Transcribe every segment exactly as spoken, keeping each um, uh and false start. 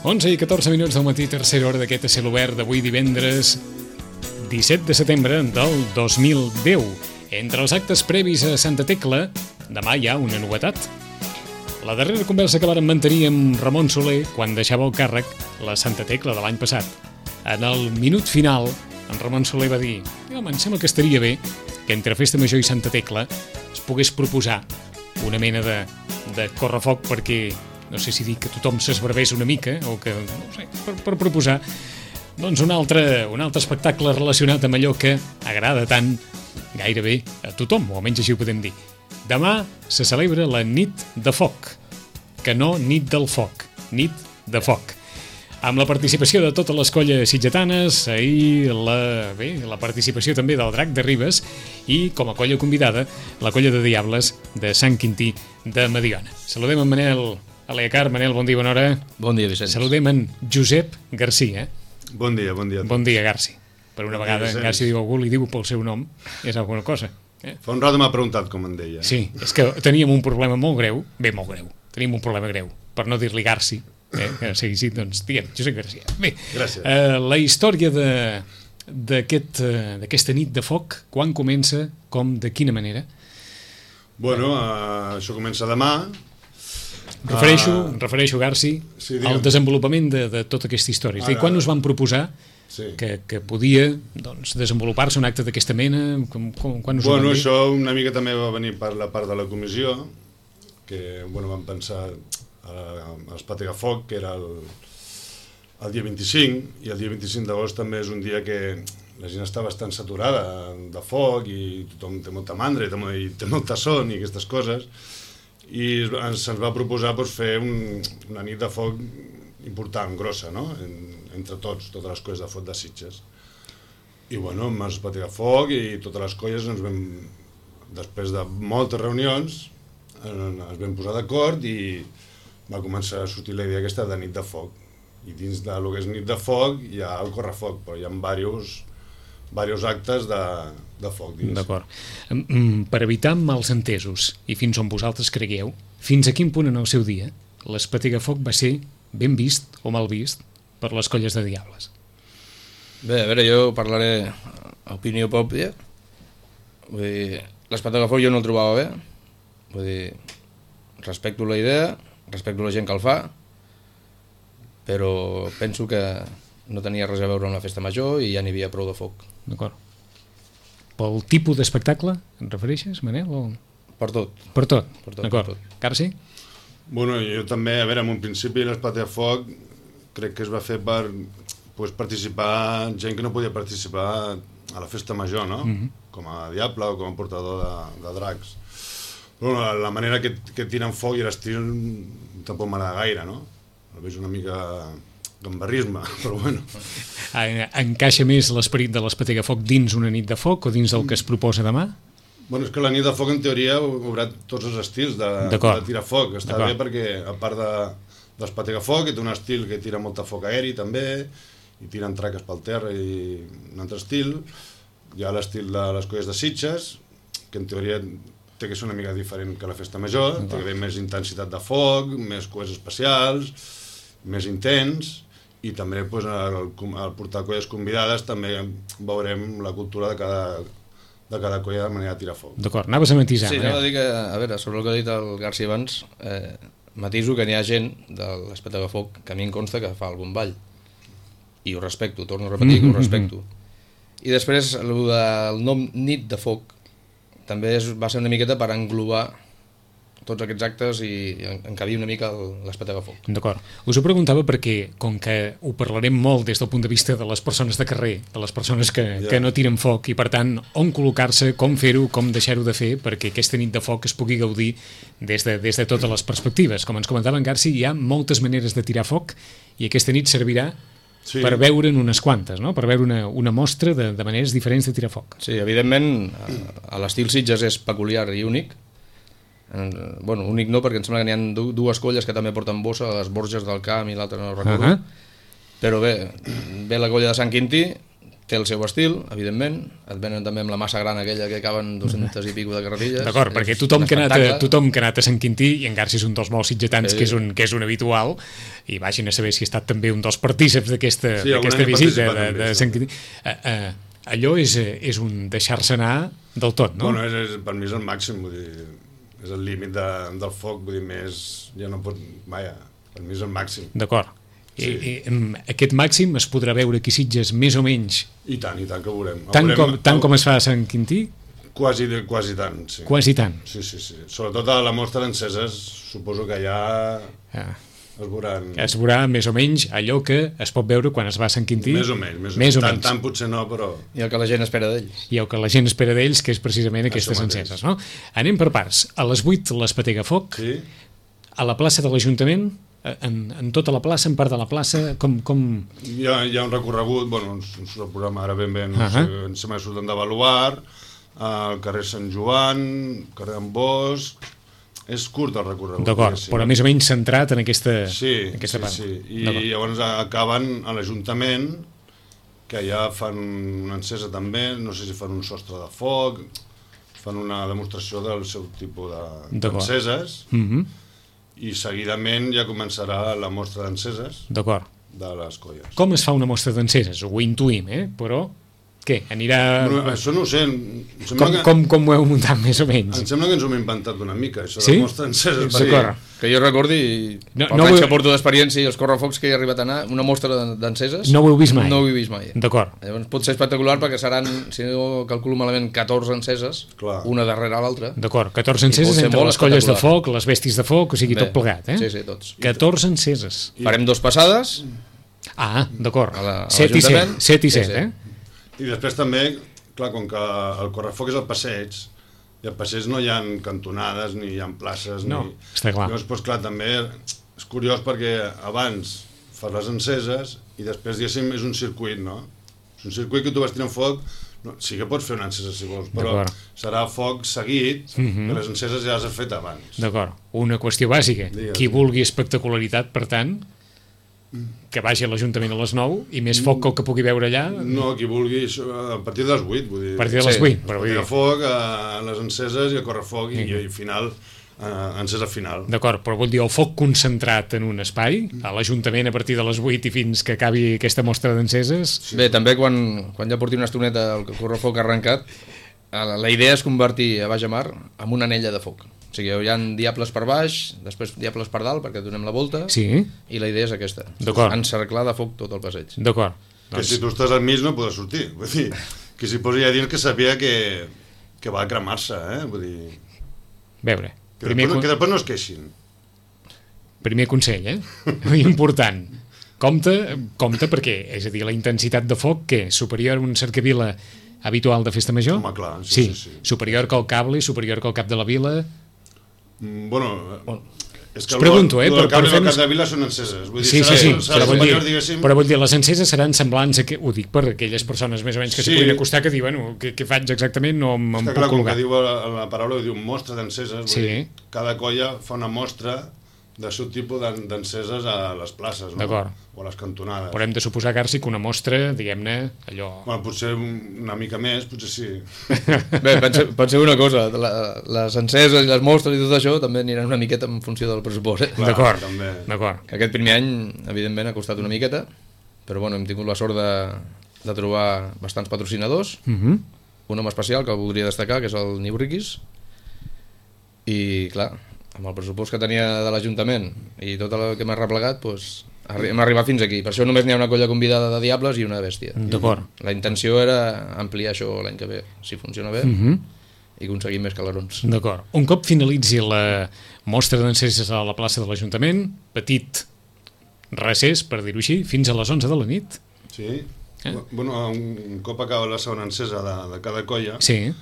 onze i catorze minuts del matí, tercera hora d'aquest a cel obert d'avui divendres disset de setembre del dos mil deu. Entre els actes previs a Santa Tecla, demà hi ha una novetat. La darrera conversa que vàrem mantenir amb Ramon Soler quan deixava el càrrec la Santa Tecla de l'any passat. En el minut final, en Ramon Soler va dir: home, em sembla que estaria bé que entre Festa Major i Santa Tecla es pogués proposar una mena de, de correfoc perquè, no sé si dir que tothom s'esbarbés una mica o que, no sé, per, per proposar doncs un altre, un altre espectacle relacionat amb allò que agrada tant gairebé a tothom, o almenys així ho podem dir. Demà se celebra la nit de foc, que no nit del foc, nit de foc. Amb la participació de totes les colles sitgetanes, ahir la, bé, la participació també del Drac de Ribes i, com a colla convidada, la colla de Diables de Sant Quintí de Mediona. Saludem en Manel Aleacar. Manel, bon dia, bona hora. Bon dia, Vicenç. Saludem en Josep Garcia. Bon dia, bon dia. Bon dia, Garci. Per una bon vegada, dia, Garci diu algú, li diu pel seu nom, és alguna cosa. Eh? Fa un rato m'ha preguntat com en deia. Sí, és que teníem un problema molt greu, bé, molt greu, teníem un problema greu, per no dir-li Garci. Eh, que sí, sí, doncs diguem, Josep Garcia. Bé, eh, la història de, d'aquest, uh, d'aquesta nit de foc, quan comença, com, de quina manera? Bueno, uh, això comença demà. Refereixo, uh, refereixo Garci, sí, al desenvolupament de, de tota aquesta història. És a dir, quan us van proposar sí. que, que podia doncs, desenvolupar-se un acte d'aquesta mena? Com, com, quan us bueno, ho van dir? Això una mica també va venir per la part de la comissió, que bueno, vam pensar a l'Espategafoc, que era el, el dia vint-i-cinc, i el dia vint-i-cinc d'agost també és un dia que la gent està bastant saturada de foc i tothom té molta mandra i té, i té molta son i aquestes coses, i ens, se'ns va proposar doncs, fer un, una nit de foc important, grossa, no? En, entre tots, totes les colles de foc de Sitges. I bueno, amb l'Espategafoc i totes les colles ens vam, després de moltes reunions, ens vam posar d'acord i va començar a sortir la idea aquesta de nit de foc. I dins de lo que és nit de foc hi ha el correfoc, però hi ha diversos, diversos actes de, de foc dins. D'acord. Per evitar malentesos, i fins on vosaltres cregueu, fins a quin punt en el seu dia l'Espategafoc va ser ben vist o mal vist per les colles de Diables? Bé, a veure, jo parlaré opinió pròpia. Vull dir, l'Espategafoc jo no el trobava bé. Vull dir, respecto la idea, respecto la gent que el fa, però penso que no tenia res a veure amb la festa major i ja n'hi havia prou de foc. D'acord. Pel tipus d'espectacle et refereixes, Manel? O... Per tot. Per tot? Per tot. D'acord. Carci? Bueno, jo també, a veure, en un principi l'Espategafoc crec que es va fer per pues, participar gent que no podia participar a la festa major, no? Mm-hmm. Com a diable o com a portador de, de dracs. Però la, la manera que, que tiren foc i l'estil tampoc m'agrada gaire, no? El veig una mica gambarrisme, però bueno. Encaixa més l'esperit de l'Espategafoc dins una nit de foc o dins el que es proposa demà? Bueno, és que la nit de foc en teoria haurà tots els estils de, de tirar foc. Està bé perquè a part de, d'Espategafoc, que té un estil que tira molta foc aeri també, i tiren traques pel terra i un altre estil. Hi ha l'estil de les colles de Sitges, que en teoria té que ser una mica diferent que la festa major, té que haver més intensitat de foc, més coets especials, més intens, i també pues, al, al portar colles convidades també veurem la cultura de cada, de cada colla de manera de tirar foc. D'acord, anaves a matisar. Sí, anava a dir que, a veure, sobre el que ha dit el Garcia abans, eh, matiso que n'hi ha gent de l'Espategafoc que a mi em consta que fa algun ball, i ho respecto, torno a repetir que ho respecto. I després, el del nom nit de foc, també és, va ser una miqueta per englobar tots aquests actes i encabir una mica l'Espategafoc. D'acord. Us ho preguntava perquè, com que ho parlarem molt des del punt de vista de les persones de carrer, de les persones que, yeah. que no tiren foc, i per tant, on col·locar-se, com fer-ho, com deixar-ho de fer, perquè aquesta nit de foc es pugui gaudir des de, des de totes les perspectives. Com ens comentava en Garci, hi ha moltes maneres de tirar foc i aquesta nit servirà sí. per veure'n unes quantes, no? Per veure una, una mostra de, de maneres diferents de tirar foc. Sí, evidentment, a l'estil Sitges és peculiar i únic. Bueno, únic no, perquè em sembla que n'hi ha dues colles que també porten bossa, les Borges del Camp i l'altra no recordo. Uh -huh. Però bé, ve la colla de Sant Quintí, té el seu estil, evidentment, et venen també amb la massa gran aquella que caben dues-centes i pico de carretilles. D'acord, perquè tothom que, ha anat a, tothom que ha anat a Sant Quintí, i en Garci és un dels molts sitgetans sí. que, és un, que és un habitual, i vagin a saber si ha estat també un dels partíceps d'aquesta sí, visita de, de Sant Quintí. Uh, uh, allò és, és un deixar-se anar del tot, no? Bueno, és, és, per mi és el màxim, vull dir, és el límit de, del foc, vull dir, més, ja no pot, vaja, per mi és el màxim. D'acord. Sí. I, i, aquest màxim es podrà veure aquí a Sitges més o menys? I tant, i tant que ho veurem. Tant, veurem, com, tant com es fa a Sant Quintí? Quasi, quasi tant, sí. Quasi tant? Sí, sí, sí. Sobretot a la mostra d'enceses, suposo que ja ah. es veuran... Es veurà més o menys allò que es pot veure quan es va a Sant Quintí? Més o menys, més o més menys. O tant, menys. tant potser no, però... I el que la gent espera d'ells. I el que la gent espera d'ells, que és precisament aquestes enceses, no? Anem per parts. A les vuit l'Espetega Foc, sí. A la plaça de l'Ajuntament, en, en tota la plaça, en part de la plaça, com... com... Hi, ha, hi ha un recorregut, bueno, el programa ara ben bé, no uh -huh. sé, em sembla que surten de Baluard, al carrer Sant Joan, carrer Ambós... És curt el recorregut. D'acord, però més o menys centrat en aquesta, sí, aquesta sí, part. Sí, i llavors acaben a l'Ajuntament, que ja fan una encesa també, no sé si fan un sostre de foc, fan una demostració del seu tipus d'enceses, de, mm -hmm. i seguidament ja començarà la mostra d'enceses de les colles. Com es fa una mostra d'enceses? Ho intuïm, eh? Però què? Anirà... Bueno, això no ho sé. Com, que... com, com ho heu muntat més o menys? Em sembla que ens ho hem inventat una mica, això sí? de la mostra d'enceses. Sí, que jo recordi, no, pels no anys vull... que porto d'experiència i els correfocs que he arribat a anar, una mostra d'enceses... No ho heu vist mai? No ho he vist mai. D'acord. Llavors pot ser espectacular perquè seran, si no calculo malament, catorze enceses, clar. Una darrere l'altra. D'acord, catorze enceses entre les colles de foc, les bèsties de foc, o sigui, bé, tot plegat, eh? Sí, sí, tots. catorze enceses. I... Farem dos passades. Ah, d'acord. set i set, set i set, sí, sí. eh? I després també, clar, com que el correfoc és el passeig, i al passeig no hi ha cantonades, ni hi ha places, no, ni... està clar. Llavors, doncs, clar, també és curiós perquè abans fas les enceses i després, diguéssim, és un circuit, no? És un circuit que tu vas tirant foc, no, sí que pots fer una encesa si vols, però serà foc seguit, uh -huh. que les enceses ja les has fet abans. D'acord. Una qüestió bàsica. Digues. Qui vulgui espectacularitat, per tant, que vagi a l'Ajuntament a les nou i més foc que el que pugui veure allà... No, qui vulgui, a partir de les vuit, vull dir... A partir de les vuit, però vull dir... A foc, a les enceses i a correfoc i, i final, a encesa final. D'acord, però vull dir, el foc concentrat en un espai, a l'Ajuntament a partir de les vuit i fins que acabi aquesta mostra d'enceses... Sí. Bé, també quan, quan ja porti una estoneta el correfoc arrencat, la idea és convertir a Baix a Mar en una anella de foc. O sigui, hi ha diables per baix, després diables per dalt, perquè donem la volta, sí. I la idea és aquesta, encerclar de foc tot el passeig. D'acord. Que doncs... si tu estàs al mig no podràs sortir, vull dir, que si posi a dins que sabia que, que va a cremar-se, eh? Vull dir... Veure. Que, primer després, que després no es queixin. Primer consell, eh? Important. Compte, compte perquè, és a dir, la intensitat de foc, que és superior a un cercavila habitual de festa major? Home, clar, sí, sí. sí, sí. Superior que el cable, superior que el cap de la vila? Mm, bueno, bueno, és que us pregunto, eh? El cable i el cap de la vila són enceses. Vull dir, sí, serà, sí, sí, serà però, vull dir, diguéssim... però vull dir, les enceses seran semblants, a que, ho dic per aquelles persones més o menys que sí. s'hi puguin acostar, que diuen, bueno, què, què faig exactament, no em, em puc clar, col·locar. Com que diu la, la paraula, diu mostra d'enceses, sí. dir, cada colla fa una mostra del seu tipus d'enceses a les places, no? D'acord. O a les cantonades. Però hem de suposar, Garci, que una mostra, diguem-ne, allò... Bueno, potser una mica més, potser sí. Bé, pot ser, pot ser una cosa, la, les enceses i les mostres i tot això també aniran una miqueta en funció del pressupost, eh? D'acord, d'acord. Que aquest primer any, evidentment, ha costat una miqueta, però bueno, hem tingut la sort de, de trobar bastants patrocinadors, uh -huh. un home especial que el voldria destacar, que és el Niu Riquis, i clar, amb el pressupost que tenia de l'Ajuntament i tot el que m'ha replegat, doncs, hem arribat fins aquí. Per això només n'hi ha una colla convidada de diables i una bèstia. D'acord. La intenció era ampliar això l'any que ve, si funciona bé, uh -huh. i aconseguir més calarons. D'acord. Un cop finalitzi la mostra d'enceses a la plaça de l'Ajuntament, petit recés, per dir-ho així, fins a les onze de la nit. Sí. Eh? Bueno, un cop acaba la segona encesa de, de cada colla, sí.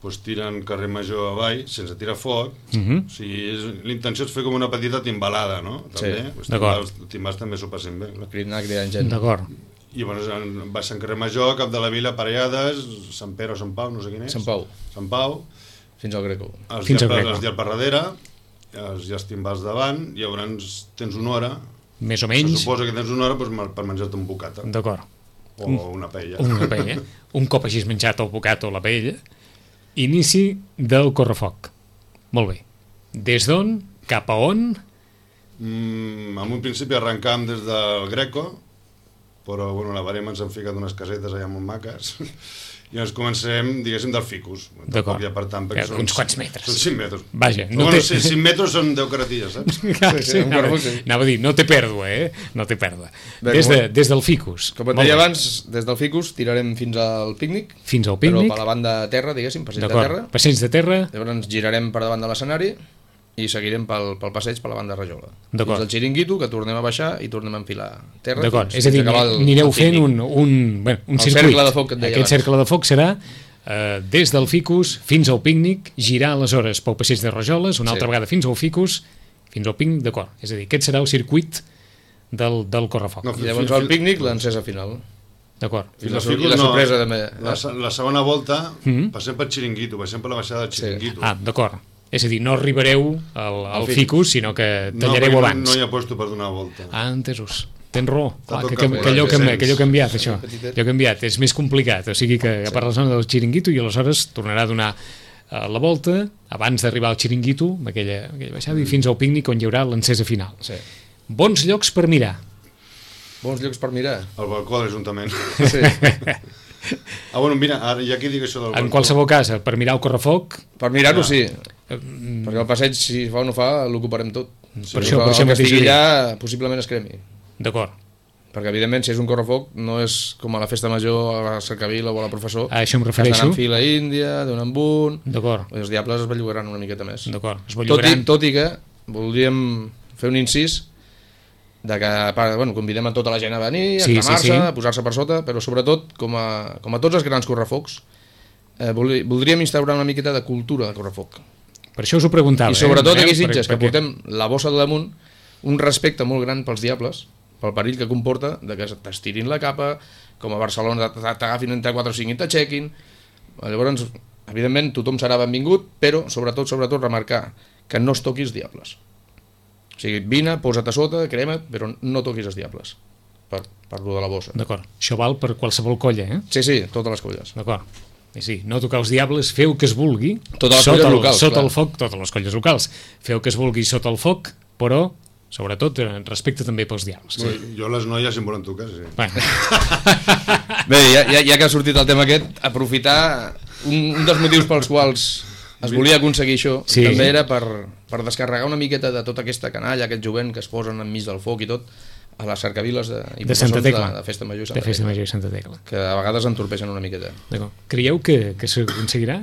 Pues tiren carrer Major avall, sense tirar foc. Uh -huh. O sigui, l'intenció és fer com una petita timbalada, no? També. Sí, pues d'acord. Els timbals també s'ho passen bé. Cridant, cridant gent. D'acord. I llavors va a Sant Carrer Major, cap de la vila, parellades, Sant Pere o Sant Pau, no sé quin és. Sant Pau. Sant Pau. Fins al Greco. Els Fins al Greco. Els dies per darrere, els, els timbals davant, i llavors tens una hora. Més o menys. Se suposa que tens una hora pues, per menjar-te un bocata. D'acord. o una paella. Una paella. Un cop hagis menjat el bocat o la paella, inici del correfoc. Molt bé. Des d'on? Cap a on? Mm, en un principi arrencam des del Greco, però bueno, la barema ens han ficat unes casetes allà molt maques i ens comencem, diguéssim, del ficus. D'acord. Ja, per tant, Ja, són, uns quants metres. Són cinc metres. Vaja, no no bueno, té... cinc metres són deu caratilles, saps? Ah, sí, sí, un anava, correfoc, sí. anava a dir, no té pèrdua, eh? No té pèrdua. Bé, Des, com- de, des del ficus. Com et Molt deia bé. abans, des del ficus tirarem fins al pícnic, Fins al però pícnic. per la banda de terra, diguéssim, passeig de D'acord. terra. Passeig de terra. Llavors ens girarem per davant de l'escenari i seguirem pel, pel passeig per la banda de Rajola. D'acord. Fins al xiringuito, que tornem a baixar i tornem a enfilar terra. D'acord, fins- és a dir, fins acabar el- anireu el fent pícnic. un, un, bueno, un El circuit. cercle de foc que et deia Aquest abans. cercle de foc serà eh, des del ficus fins al pícnic, girar aleshores pel passeig de Rajoles, una Sí. altra vegada fins al ficus, fins al pícnic, d'acord. És a dir, aquest serà el circuit del, del correfoc. No, I llavors al pícnic l'encesa final. D'acord. I Fins la, al i ficus la no. sorpresa també. La, se- la segona volta Mhm. passem pel xiringuito, passem per la baixada del Sí. xiringuito. Ah, d'acord. És a dir, no arribareu al, al Al ficus. ficus, sinó que no, tallareu perquè abans. No, no hi ha puesto per donar volta. Ah, entesos. Tens raó. Està Clar, tot que, que, canviat, que, allò, que, sents. que allò ha canviat, això. Petitet. Allò ha canviat, és més complicat. O sigui que a part la zona del xiringuito i aleshores tornarà a donar eh, la volta abans d'arribar al xiringuito, amb aquella, aquella baixada, i fins al pícnic on hi haurà l'encesa final. Sí. Bons llocs per mirar. Bons llocs per mirar. Al balcó de l'Ajuntament. Sí. Ah, bueno, mira, ara, ja que dic això del balcó... En qualsevol cas, per mirar el correfoc, Per mirar-ho, Ja. sí. eh, Perquè el passeig, si fa o no fa, l'ocuparem tot. Si Per no això- fa, per això el que mateix estigui ho dic. allà, possiblement es cremi. d'acord. Perquè, evidentment, si és un correfoc, no és com a la festa major, a la cercavila o a la professor, A això em que estan refereixo. en fila índia, d'un en un... D'acord, Els diables es bellugaran una miqueta més. d'acord. Es Tot i, bellugaran. tot i que voldríem fer un incís de que a part, bueno, convidem a tota la gent a venir, a Sí, sí, cremar-se, sí. a posar-se per sota, però sobretot, com a, com a tots els grans correfocs, eh, vol- voldríem instaurar una miqueta de cultura de correfoc. Per això us ho preguntava. I sobretot eh, aquí a Manel, Sitges, que perquè- portem la bossa de damunt, un respecte molt gran pels diables, pel perill que comporta de que t'estirin la capa, com a Barcelona t'agafin entre quatre o cinc i t'aixequin. Llavors, evidentment, tothom serà benvingut, però sobretot, sobretot, remarcar que no es toqui els diables. O sigui, vine, posa't a sota, crema't, però no toquis els diables, per, per lo de la bossa. D'acord. Això val per qualsevol colla, eh? Sí, sí, totes les colles. D'acord. I sí, no tocar els diables, feu que es vulgui. Totes les sota colles el, locals, Sota clar. el foc, totes les colles locals. Feu que es vulgui sota el foc, però, sobretot, eh, respecte també pels diables. Sí. Jo les noies em volen tocar, sí. Bueno, Bé, ja, ja, ja que ha sortit el tema aquest, aprofitar un, un dels motius pels quals es volia aconseguir això, Sí. també era per, per descarregar una miqueta de tota aquesta canalla, aquest jovent que es posen enmig del foc i tot, a les cercaviles de, i de Santa processons Tecla. de, de Festa Major i De Santa Festa Tecla, Major i Santa Tecla. que a vegades entorpeixen una miqueta. D'acord. Creieu que, que s'aconseguirà?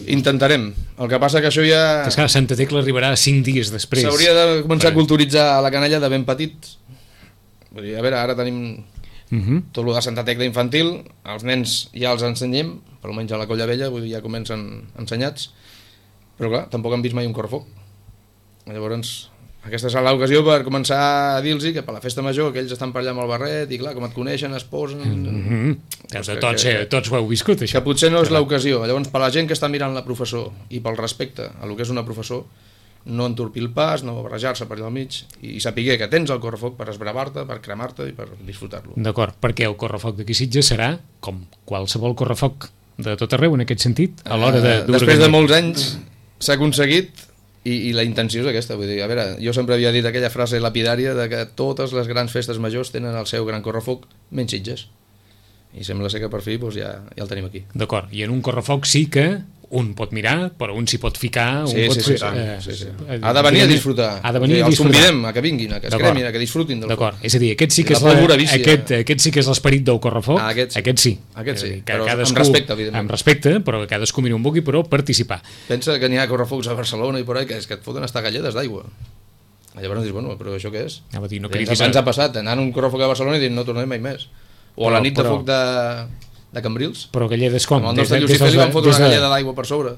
Intentarem. El que passa que això ja... Que esclar, Santa Tecla arribarà cinc dies després. S'hauria de començar Vale. a culturitzar la canalla de ben petits. Vull dir, a veure, ara tenim Uh -huh. tot el de Santa Tecla infantil, els nens ja els ensenyem, per almenys a la Colla Vella, vull dir, ja comencen ensenyats, però clar, tampoc han vist mai un correfoc. Llavors, aquesta serà l'ocasió per començar a dir-los que per la festa major aquells estan per allà amb el barret i clar, com et coneixen, es posen... Uh -huh. Tots, que- tots, que- eh, tots ho heu viscut, Que això. potser no és l'ocasió. Llavors, per la gent que està mirant la professor i pel respecte a lo que és una professor, no entorpir el pas, no barrejar-se per allà al mig i saber que tens el correfoc per esbravar-te, per cremar-te i per disfrutar-lo. D'acord, perquè el correfoc d'aquí Sitges serà, com qualsevol correfoc de tot arreu, en aquest sentit, a l'hora de... Eh, Després de molts anys s'ha aconseguit i, i la intenció és aquesta. Vull dir, a veure, jo sempre havia dit aquella frase lapidària de que totes les grans festes majors tenen el seu gran correfoc, menys Sitges. I sembla ser que per fi doncs, ja, ja el tenim aquí. D'acord, i en un correfoc sí que un pot mirar, però un s'hi pot ficar... Sí, un pot sí, sí, fer, tant, eh, sí, sí. eh, Ha de venir a diguem-ne, disfrutar. Ha de venir a Els disfrutar. convidem a que vinguin, a que es D'acord. cremin, a que disfrutin del foc. D'acord, és a dir, aquest sí I que la és, la, pólvora vicia. aquest, aquest sí que és l'esperit del correfoc, Ah, aquest sí. sí. Aquest sí, És a dir, que però amb cadascú- respecte, evidentment. Amb respecte, però que cadascú miri on vulgui, però participar. Pensa que n'hi ha correfocs a Barcelona i por ahí que, és que et foten hasta galledes d'aigua. Llavors dius, bueno, però això què és? Anava a dir, no Ja ens, cridis ens a- ha passat, anant a un correfoc a Barcelona i dir no tornarem mai més. O a la Però- nit de però- foc de, de Cambrils, Però galledes com? amb el Des nostre de- Llucifer des li de- van fotre des una de- galleda d'aigua per sobre.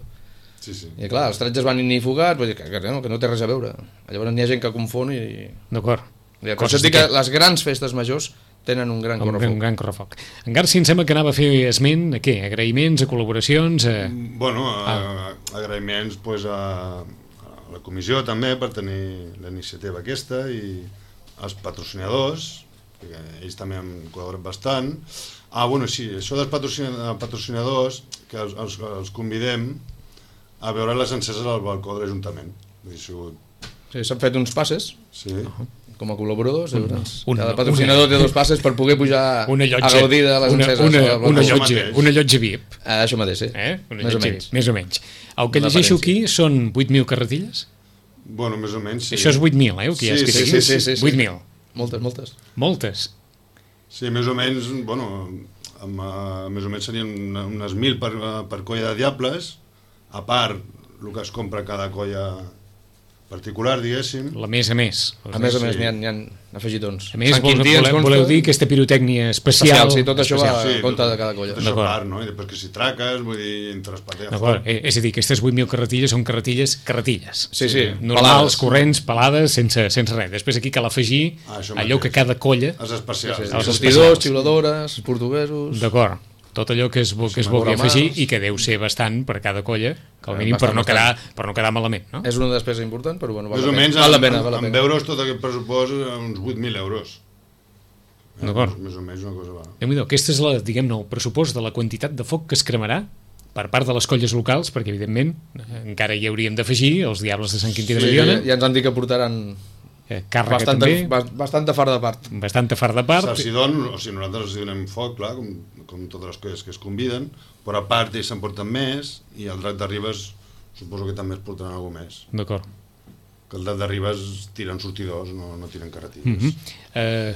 Sí, sí. I clar, els tretges van inifugats, vull dir que, que, no, que no té res a veure. Llavors n'hi ha gent que confon i... D'acord. I per Coses això et dic que d'aquest- les grans festes majors tenen un gran Un, correfoc. un gran correfoc. En Garci em sembla que anava a fer esment a què? Agraïments, a col·laboracions... A... Bueno, ah. agraïments pues, a, a la comissió també per tenir la iniciativa aquesta i als patrocinadors perquè ells també han col·laborat bastant. Ah, bueno, sí, això dels patrocinadors, que els, els, els convidem a veure les enceses al balcó de l'Ajuntament. Sí, s'han fet uns passes, sí. com a col·laboradors, un, una, cada patrocinador una, té dos passes per poder pujar una llotja, a gaudir de les una, enceses. Una, una, una, llotja, una llotja V I P. Ah, això mateix, sí. Eh? Una més, llotja, o menys. més o menys. El que llegeixo aquí són vuit mil carretilles? Bueno, més o menys, sí. Això és vuit mil, eh? El que sí, sí, sí, sí, sí, sí, sí. vuit mil. Moltes, moltes. Moltes. Sí, més o menys, bueno, amb, uh, més o menys serien unes mil per, uh, per colla de diables, a part el que es compra cada colla particular, diguéssim. La més a més. A més a més, sí. n'hi ha, ha afegitons. A més, vol, voleu, voleu dir aquesta pirotècnia especial... especial sí, tot això especial. va sí, compte tot, de cada colla. Tot això a part, no? I després que si traques, vull dir, entre les pates... D'acord, és a dir, aquestes vuit mil carretilles són carretilles, carretilles. Sí, sí. Normals, pelades, corrents, pelades, sense, sense res. Després aquí cal afegir ah, allò que cada colla... Els especials. Sí, sí. Els sortidors, xiuladores, portuguesos... D'acord. Tot allò que es, que es vulgui afegir i que deu ser bastant per cada colla, que al mínim bastant, per, no quedar, per no quedar malament, no? És una despesa important, però bueno, val, més o menys, val la pena. Val la en, pena. En euros tot aquest pressupost uns vuit mil euros. D'acord. Més o menys una cosa va. Déu-n'hi-do, aquest és la, diguem-ne, el pressupost de la quantitat de foc que es cremarà per part de les colles locals, perquè evidentment encara hi hauríem d'afegir els Diables de Sant Quintí de Mediona. Sí, ja ens han dit que portaran... Eh, càrrega bastanta, també. Bastanta far de part. Bastanta far de part. Si don, o sigui, nosaltres els donem foc, clar, com, com totes les colles que es conviden, però a part ells se'n porten més, i el Drac de Ribes suposo que també es portaran alguna més. D'acord. Que el Drac de Ribes tiren sortidors, no, no tiren carretilles. Mm -hmm. eh,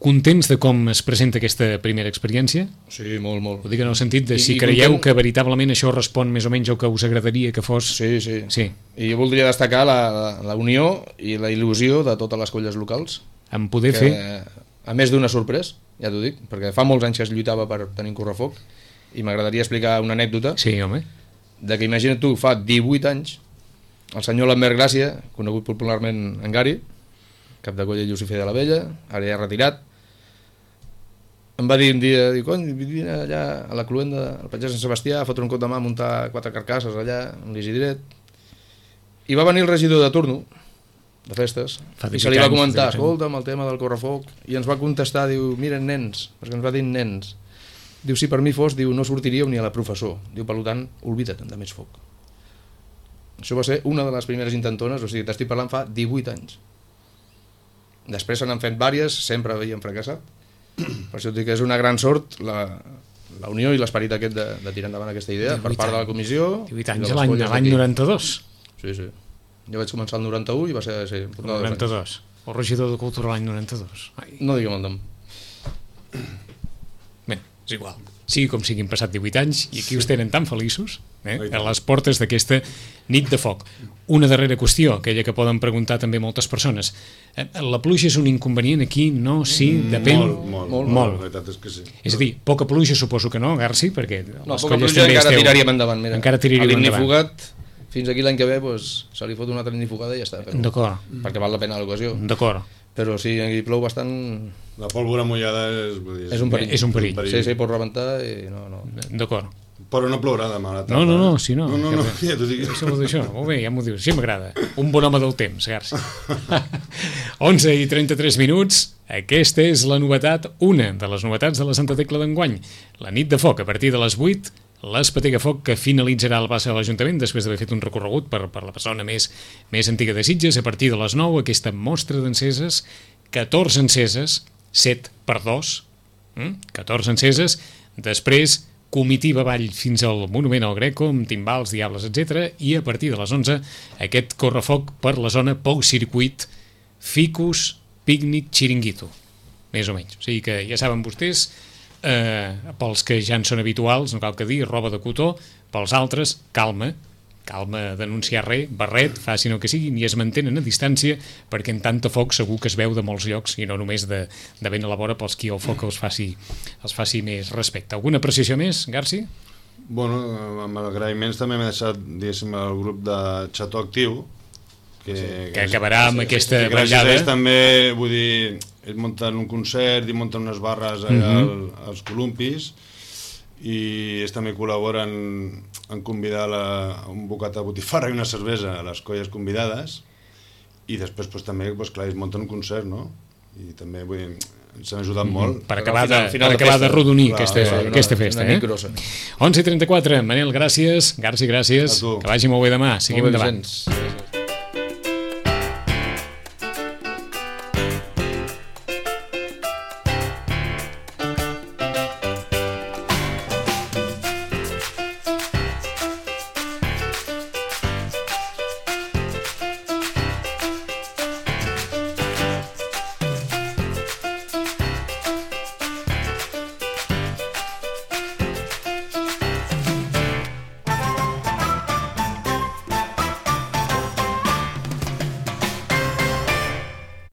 contents de com es presenta aquesta primera experiència? Sí, molt, molt. Ho dic en el sentit de si I, creieu content... que veritablement això respon més o menys al que us agradaria que fos... Sí, sí. sí. I jo voldria destacar la, la, la unió i la il·lusió de totes les colles locals. En poder que, fer... A més d'una sorpresa, ja t'ho dic, perquè fa molts anys que es lluitava per tenir un correfoc, i m'agradaria explicar una anècdota. Sí, home. De que imagina't tu, fa divuit anys, el senyor Lambert Gràcia, conegut popularment en Gari, cap de colla Llucifer de la Vella, ara ja retirat, em va dir un dia, diu, cony, vine allà a la cluenda al Patge Sant Sebastià a fotre un cop de mà, a muntar quatre carcasses allà, amb l'Isidret. I va venir el regidor de turno, de festes, i se li va comentar, escolta'm, el tema del correfoc, i ens va contestar, diu, miren nens, perquè ens va dir nens, diu, si per mi fos, diu, no sortiríeu ni a la professor, diu, per tant, oblida't de més foc. Això va ser una de les primeres intentones, o sigui, t'estic parlant fa divuit anys. Després se n'han fet vàries, sempre havien fracassat. Per això dic que és una gran sort la, la unió i l'esperit aquest de, de tirar endavant aquesta idea per part de la comissió. divuit anys l'any noranta-dos. Sí, sí. Jo vaig començar el noranta-u i va ser... Sí, el noranta-dos. El regidor de Cultura l'any noranta-dos. Ai. No diguem el nom. Bé, és igual. Sigui com siguin passat divuit anys i aquí us tenen tan feliços eh, a les portes d'aquesta nit de foc. Una darrera qüestió, aquella que poden preguntar també moltes persones. La pluja és un inconvenient aquí? No, sí, depèn... Molt, molt, molt. molt. La veritat és que sí. És a dir, poca pluja suposo que no, Garci, perquè no, poca pluja encara esteu... tiraríem endavant. Mira. Encara tiraríem endavant. L'ignifugat, fins aquí l'any que ve, pues, se li fot una altra ignificada i ja està. D'acord. Perquè val la pena l'ocasió. D'acord. Però si aquí plou bastant... La pólvora mullada és... És un perill. És un perill. Sí, sí, pot rebentar i no... no. D'acord. Però no plourà demà a la tarda. No, no, no, si no. No, no, no, ja t'ho dic. Això, molt bé, ja m'ho dius. Sí, m'agrada. Un bon home del temps, Garci. onze i trenta-tres minuts. Aquesta és la novetat, una de les novetats de la Santa Tecla d'enguany. La nit de foc, a partir de les vuit, l'Espetega Foc, que finalitzarà el pas a l'Ajuntament després d'haver fet un recorregut per, per la persona més, més antiga de Sitges. A partir de les nou, aquesta mostra d'enceses, catorze enceses, set per dos, catorze enceses, després comitiva avall fins al Monument al Greco, amb timbals, diables, etcètera, i a partir de les onze aquest correfoc per la zona Pou Circuit, Ficus, Pícnic, Xiringuito, més o menys. O sigui que ja saben vostès, eh, pels que ja en són habituals, no cal que dir, roba de cotó, pels altres, calma, calma d'anunciar res, barret, facin el que siguin i es mantenen a distància perquè en tanta foc segur que es veu de molts llocs i no només de, de ben a la vora pels qui el foc els faci, els faci més respecte. Alguna apreciació més, Garci? Bueno, amb agraïments també m'he deixat, diguéssim, el grup de Xató Actiu que, sí, que acabarà amb sí, aquesta que gràcies a ells també, vull dir, ells munten un concert i munten unes barres allà uh -huh. al, als columpis i ells també col·laboren en convidar la, un bocat de botifarra i una cervesa a les colles convidades i després pues, també pues, clar, ells munten un concert, no? I també vull dir, ens han ajudat molt. Per acabar de, Al final per de acabar festa. de rodonir Clar, aquesta, clar, clar. aquesta festa. Una Eh? nit grossa. onze i trenta-quatre, Manel, gràcies. Garci, gràcies. A tu. Que vagi molt bé demà. Seguim Molt bé, endavant. Vicenç.